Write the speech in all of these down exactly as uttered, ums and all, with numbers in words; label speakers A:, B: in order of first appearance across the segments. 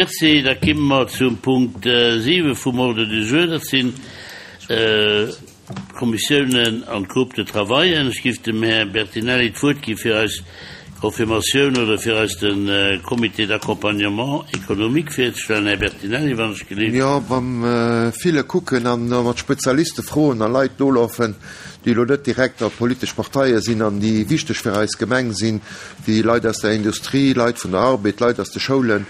A: Merci. Da kimme mer zum Punkt siwe vum Ordre du jour. Dat sinn d'Kommissiounen an d'Groupes de travaillen. Ech géif dem Här Bertinelli d'Wuert gi fir eis Confirmatioun oder fir eis de Comité d'accompagnement économique virzestellen. Här Bertinelli, wann ech gelift.
B: Jo, beim ville Kucken an mat Spezialiste froen a Leit nolafen, déi elo net direkt a politesch Parteie sinn an déi wichteg fir eis Gemeng sinn, wéi Leit aus der Industrie, Leit vun der Arbed, Leit aus de Schoulen,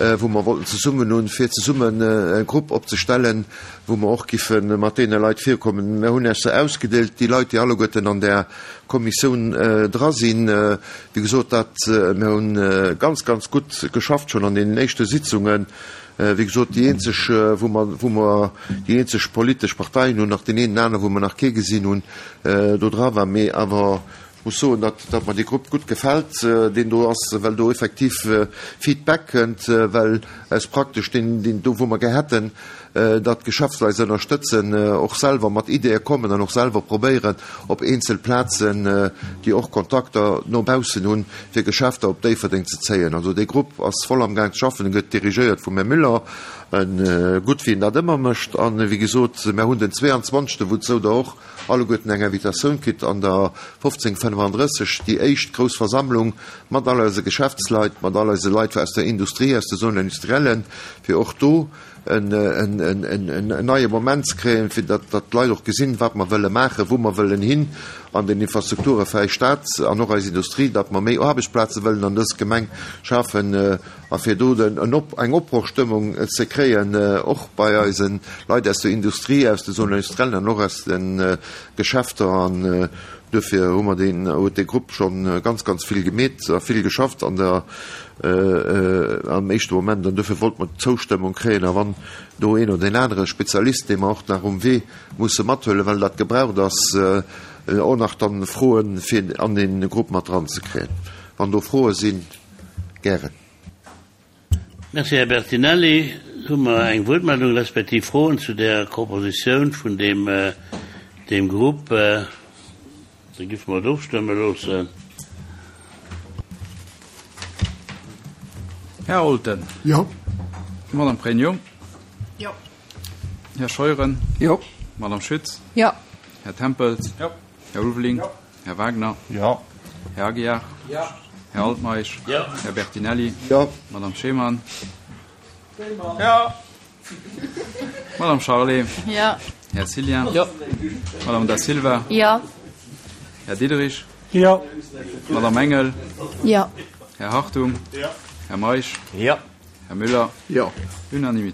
B: wou mer wollten zesummen hunn, fir zesummen e Grupp opzestellen, wou mer och giffe mat deene Leit virkommen. Mer hunn Iech se ausgedeelt, déi Leit, déi alleguerten an där Kommissioun dra sinn. Wéi gesot, dat, mer hunn ganz, ganz gutt geschafft schonn an deenen éischte Sitzungen. Wéi gesot, déi eenzeg, wou mer, wou mer déi eenzeg politesch Parteien hunn, nach deen een anere, wou mer nach kee gesinn hunn, do dra war, mee awer ech muss soen, datt, datt mer dee Grupp gutt gefält, deen do ass, well do effektiv Feedback kënnt, well eis praktesch deen, deen do, wou mer gär hätten, datt d'Geschäftsleit se ënnerstëtzen, och selwer mat Ideeë kommen an och selwer probéieren, op eenzel Plazen, déi och Kontakter no baussen hunn, fir Geschäfter op Déifferdeng ze zéien. Also dee Grupp ass voll amgaang ze schaffen, e gëtt dirigéiert vum Här Müller, gutt wéi en dat ëmmer mécht. An wéi gesot, mer hunn den zweeanzwanzegsten, wouzou Der och alleguerten eng Invitatioun kritt, an der fofzéng fënnefandrësseg déi éischt grouss Versammlung mat all eise Geschäftsleit, mat all eise Leit aus der Industrie, aus de Zones industrielles, fir och do en neie Moment ze kréien, fir datt d'Leit och gesinn, wat mer wëlle maachen, wou mer wëllen hin an den Infrastrukture fir eis Stad an och eis Industrie, datt mer méi Aarbechtsplaze wëllen an dës Gemeng schafen a fir do eng Opbrochstëmmung ze kréien, och bei eise Leit aus der Industrie, aus de Zones industrielles an och aus de Geschäfter. An duerfir hu mer deen, huet dee Grupp scho ganz, ganz vill gemeet a vill geschafft an der, am éischte Moment. An duerfir wollte mer d'Zoustëmmung kréien. A wann do een oder deen anere Spezialist, dee mer och nach um Wee musse mathuelen, well dat gebraucht ass, och nach dann froen, fir an dee Grupp mat dranzekréien. Wann do Froe sinn, gären.
A: Merci, Här Bertinelli. Hu mer eng Wuertmeldung respektiv Froen zu där Propositioun vun deem, deem Grupp? Da géife mer et ofstëmme loossen.
C: Här Olten.
D: Jo.
C: Madame Pregno.
E: Jo.
C: Här Scheuren.
D: Jo.
C: Madame Schütz.
E: Jo.
C: Här Tempels.
D: Jo.
C: Här Ulveling.
D: Jo.
C: Här Wagner.
D: Jo.
C: Här Aguiar.
D: Jo.
C: Här Altmeisch.
A: Jo.
C: Här Bertinelli.
B: Jo.
C: Madame Schemann.
D: Jo.
C: Madame Charlé.
E: Jo.
C: Här Cillien.
D: Jo.
C: Madame Da Silva.
E: Jo.
C: Här Diderich.
D: Jo.
C: Madame Engel.
E: Jo.
C: Här Hartung.
D: Jo.
C: Här Meisch.
D: Jo.
C: Här Müller.
D: Jo.
C: Unanimité.